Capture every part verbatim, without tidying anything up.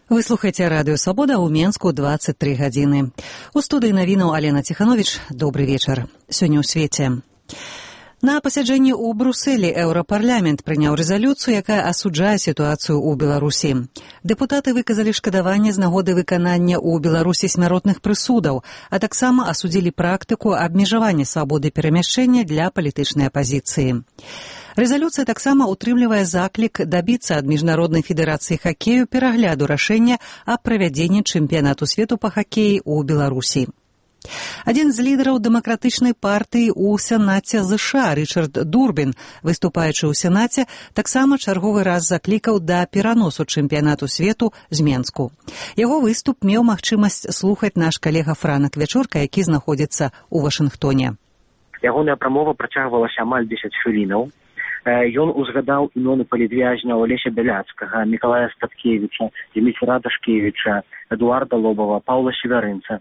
Вы слухаеце радыё «Свабода» ў Менску дваццаць тры гадзіны. У студыі навінаў Алена Ціхановіч. Добры вечар. Сёння ў свеце. На пасяджэнні ў Брусэлі Еўрапарламент прыняў рэзалюцыю, якая асуджае сітуацыю ў Беларусі. Дэпутаты выказалі шкадаванне з нагоды выканання ў Беларусі смяротных прысудаў, а таксама асудзілі практыку абмежавання свабоды перамяшчэння для палітычнай апазіцыі. Рэзалюцыя таксама утрымлівае заклік дабіцца ад Міжнароднай федэрацыі хакею перагляду рашэння аб правядзенні чэмпіянату свету па хакеі ў Беларусі. Адзін з лідараў дэмакратычнай партыі ў Сенаце ЗША Рычард Дурбін, выступаючы ў Сенаце, таксама чарговы раз заклікаў да пераносу чэмпіянату свету з Менску. Яго выступ меў магчымасць слухаць наш калега Франак Вячорка, які знаходзіцца ў Вашынгтоне. Ягоная прамова працягвалася амаль дзесяць хвілінаў. Ён узгадаў імёны палітвязняў Алеся Бяляцкага, Мікалая Статкевіча, Дмітра Дашкевіча, Эдуарда Лобава, Паўла Северынца.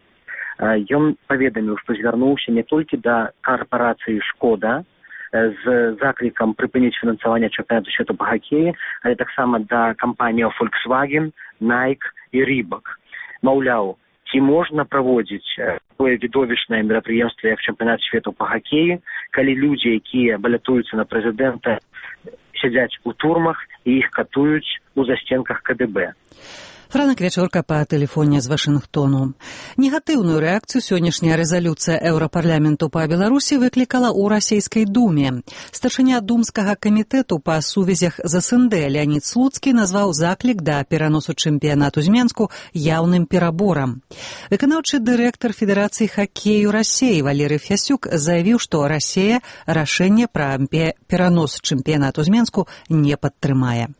Ён паведаміў, што звярнуўся не толькі да карпорацыі «Шкода» з заклікам прыпыніць фінансаванне чэмпіянату свету па хакеі, але таксама да кампаніяў Volkswagen, Nike і Reebok. Маўляў, ці можна праводзіць такое відовішчнае мерапрыемства, як чэмпіянат свету па хакеі, калі людзі, якія балятуюцца на прэзідэнта, сядзяць у турмах і іх катуюць у засценках КДБ. Франак Вячорка па тэлефоне з Вашынгтону. Негатыўную рэакцыю сённяшняя рэзалюцыя Еўрапарламенту па Беларусі выклікала ў расійскай думе. Старшыня думскага камітэту па сувязях з СНД Леанід Слуцкі назваў заклік да пераносу чэмпіянату з Менску яўным пераборам. Выканаўчы дырэктар Федэрацыі хакею Расіі Валерый Фясюк заявіў, што Расія рашэнне пра перанос чэмпіянату з Менску не падтрымае.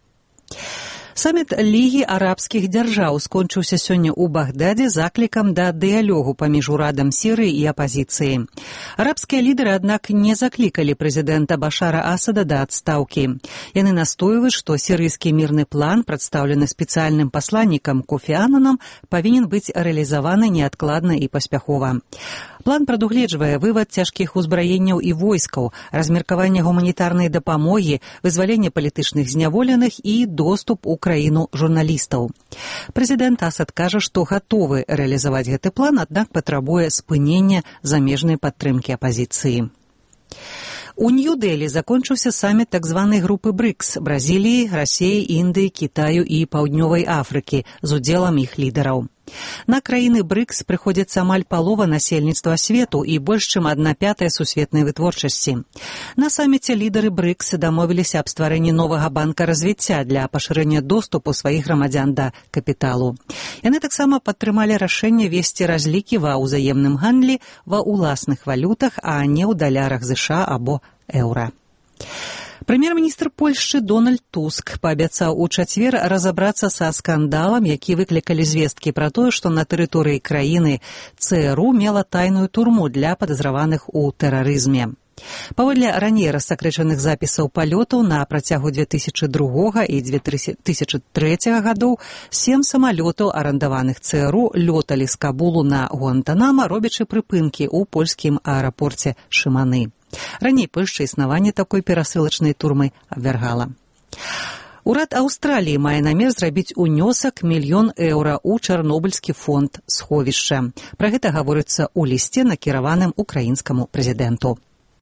Саміт Лігі арабскіх дзяржаў скончыўся сёння ў Багдадзе заклікам да дыялогу паміж урадам Сірыі і апазіцыі. Арабскія лідары, аднак, не заклікалі прэзідэнта Башара Асада да адстаўкі. Яны настойваюць, што сірыйскі мірны план, прадстаўлены спецыяльным пасланнікам Кофі Аннанам, павінен быць рэалізаваны неадкладна і паспяхова. План прадугледжвае вывад цяжкіх узбраенняў і войскаў, размеркаванне гуманітарнай дапамогі, вызваленне палітычных зняволеных і доступ у краіну журналістаў. Прэзідэнт Асад кажа, што гатовы рэалізаваць гэты план, аднак патрабуе спынення замежнай падтрымкі апазіцыі. У Нью-Дэлі закончыўся саміт так званай групы брыкс – Бразіліі, Расіі, Індыі, Кітаю і Паўднёвай Афрыкі з удзелам іх лідараў. На краіны брыкс прыходзіцца амаль палова насельніцтва свету і больш чым адна пятая сусветнай вытворчасці. На саміце лідары брыкс дамовіліся аб стварэнні новага банка развіцця для пашырэння доступу сваіх грамадзян да капіталу. Яны таксама падтрымалі рашэнне весці разлікі ва ўзаемным гандлі ва ўласных валютах, а не ў далярах ЗША або еўра. Прэм'ер-міністр Польшчы Дональд Туск паабяцаў у чацвер разабрацца са скандалам, які выклікалі звесткі пра тое, што на тэрыторыі краіны ЦРУ мела тайную турму для падазраваных у тэрарызме. Паводле раней рассакрэчаных запісаў палётаў на працягу дзве тысячы другога і дзве тысячы трэцяга гадоў сем самалётаў, арандаваных ЦРУ, лёталі з Кабулу на Гуантанама, робячы прыпынкі ў польскім аэрапорце Шыманы. Раней Польшча існаванне такой перасылачнай турмы абвяргала. Урад Аўстраліі мае намер зрабіць унёсак мільён еўра ў Чарнобыльскі фонд сховішча. Пра гэта гаворыцца ў лісце, накіраваным украінскаму прэзідэнту.